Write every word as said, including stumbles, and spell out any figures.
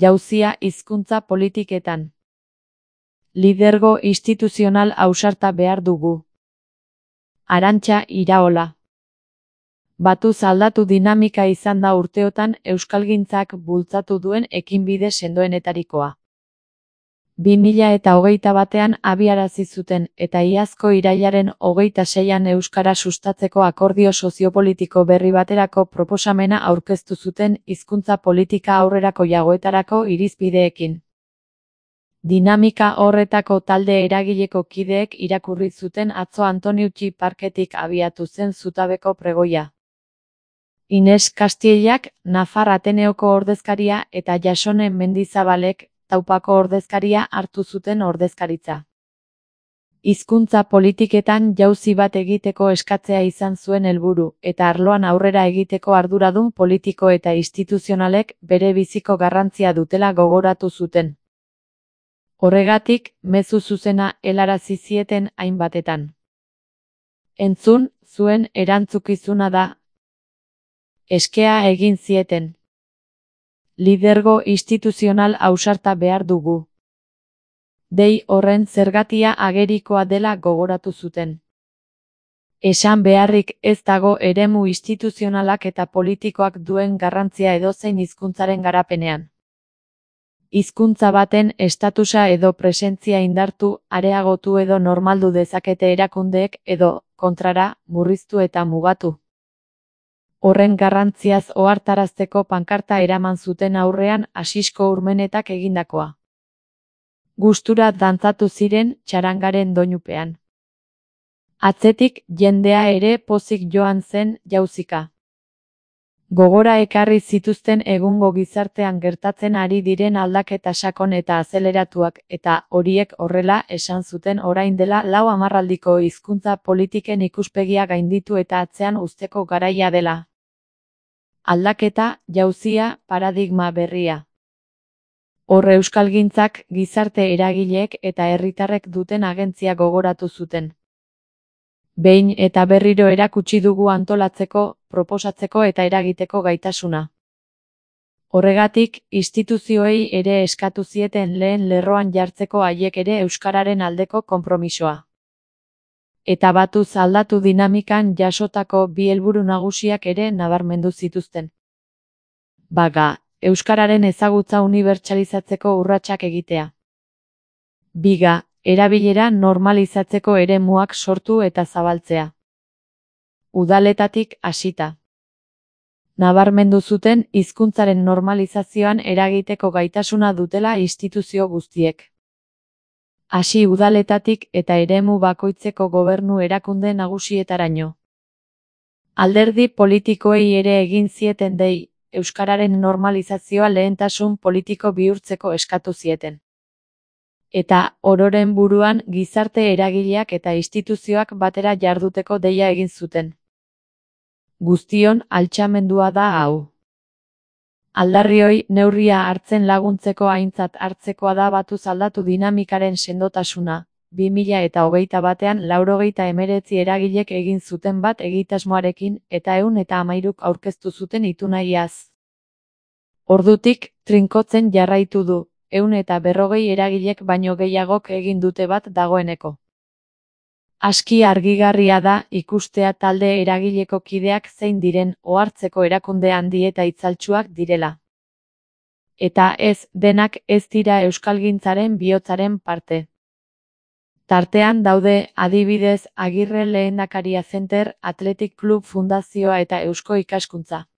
Jauzia hizkuntza politiketan. Lidergo instituzional ausarta behar dugu. Arantxa Iraola. Batuz aldatu dinamika izan da urteotan euskalgintzak bultzatu duen ekinbide sendoenetarikoa. bi mila eta hogeita batean abiarazi zuten eta iazko irailaren hogeita seian euskara sustatzeko akordio soziopolitiko berri baterako proposamena aurkeztu zuten hizkuntza politika aurrerakoiagoetarako irizpideekin. Dinamika horretako talde eragileko kideek irakurri zuten atzo Antoniutxi parketik abiatu zen zutabeko pregoia. Ines Kastiellak, Nafar Ateneoko ordezkaria eta Jasone Mendizabalek, Taupako ordezkaria hartu zuten ordezkaritza. Hizkuntza politiketan jauzi bat egiteko eskatzea izan zuen helburu, eta arloan aurrera egiteko arduradun politiko eta instituzionalek bere biziko garrantzia dutela gogoratu zuten. Horregatik, mezu zuzena helarazi zieten hainbatetan. Entzun, zuen erantzukizuna da. Eskea egin zieten. Lidergo instituzional ausarta behar dugu. Dei horren zergatia agerikoa dela gogoratu zuten. Esan beharrik ez dago eremu instituzionalak eta politikoak duen garrantzia edozein hizkuntzaren garapenean. Hizkuntza baten estatusa edo presentzia indartu, areagotu edo normaldu dezakete erakundeek edo, kontrara, murriztu eta mugatu. Horren garrantziaz ohartarazteko pankarta eraman zuten aurrean Asisko Urmenetak egindakoa. Gustura dantzatu ziren txarangaren doinupean. Atzetik jendea ere pozik joan zen jauzika. Gogora ekarri zituzten egungo gizartean gertatzen ari diren aldaketa sakon eta azeleratuak eta horiek horrela esan zuten orain dela lau hamarraldiko hizkuntza politiken ikuspegia gainditu eta atzean uzteko garaia dela. Aldaketa, jauzia, paradigma berria. Hor euskalgintzak, gizarte eragileek eta herritarrek duten agentzia gogoratu zuten. Behin eta berriro erakutsi dugu antolatzeko, proposatzeko eta eragiteko gaitasuna. Horregatik, instituzioei ere eskatu zieten lehen lerroan jartzeko haiek ere euskararen aldeko konpromisoa. Eta batuz aldatu dinamikan jasotako bi helburu nagusiak ere nabarmendu zituzten. Baga, euskararen ezagutza unibertsalizatzeko urratsak egitea. Biga, erabilera normalizatzeko eremuak sortu eta zabaltzea. Udaletatik hasita. Nabarmendu zuten hizkuntzaren normalizazioan eragiteko gaitasuna dutela instituzio guztiek. Hasi udaletatik eta eremu bakoitzeko gobernu erakunde nagusietaraino. Alderdi politikoei ere egin zieten dei, euskararen normalizazioa lehentasun politiko bihurtzeko eskatu zieten. Eta, ororen buruan, gizarte eragileak eta instituzioak batera jarduteko deia egin zuten. Guztion altxamendua da hau. Aldarrioi neurria hartzen laguntzeko aintzat hartzekoa da batuz aldatu dinamikaren sendotasuna, bi mila eta hogeita batean laurogeita hemeretzi eragilek egin zuten bat egitasmoarekin eta ehun eta hamairuk aurkeztu zuten ituna iaz. Ordutik, trinkotzen jarraitu du, ehun eta berrogei eragilek baino gehiagok egin dute bat dagoeneko. Aski argigarria da ikustea talde eragileko kideak zein diren ohartzeko erakunde handi eta itzaltsuak direla. Eta ez, denak ez dira euskalgintzaren bihotzaren parte. Tartean daude, adibidez, Agirre Lehendakaria Center, Athletic Club Fundazioa eta Eusko Ikaskuntza.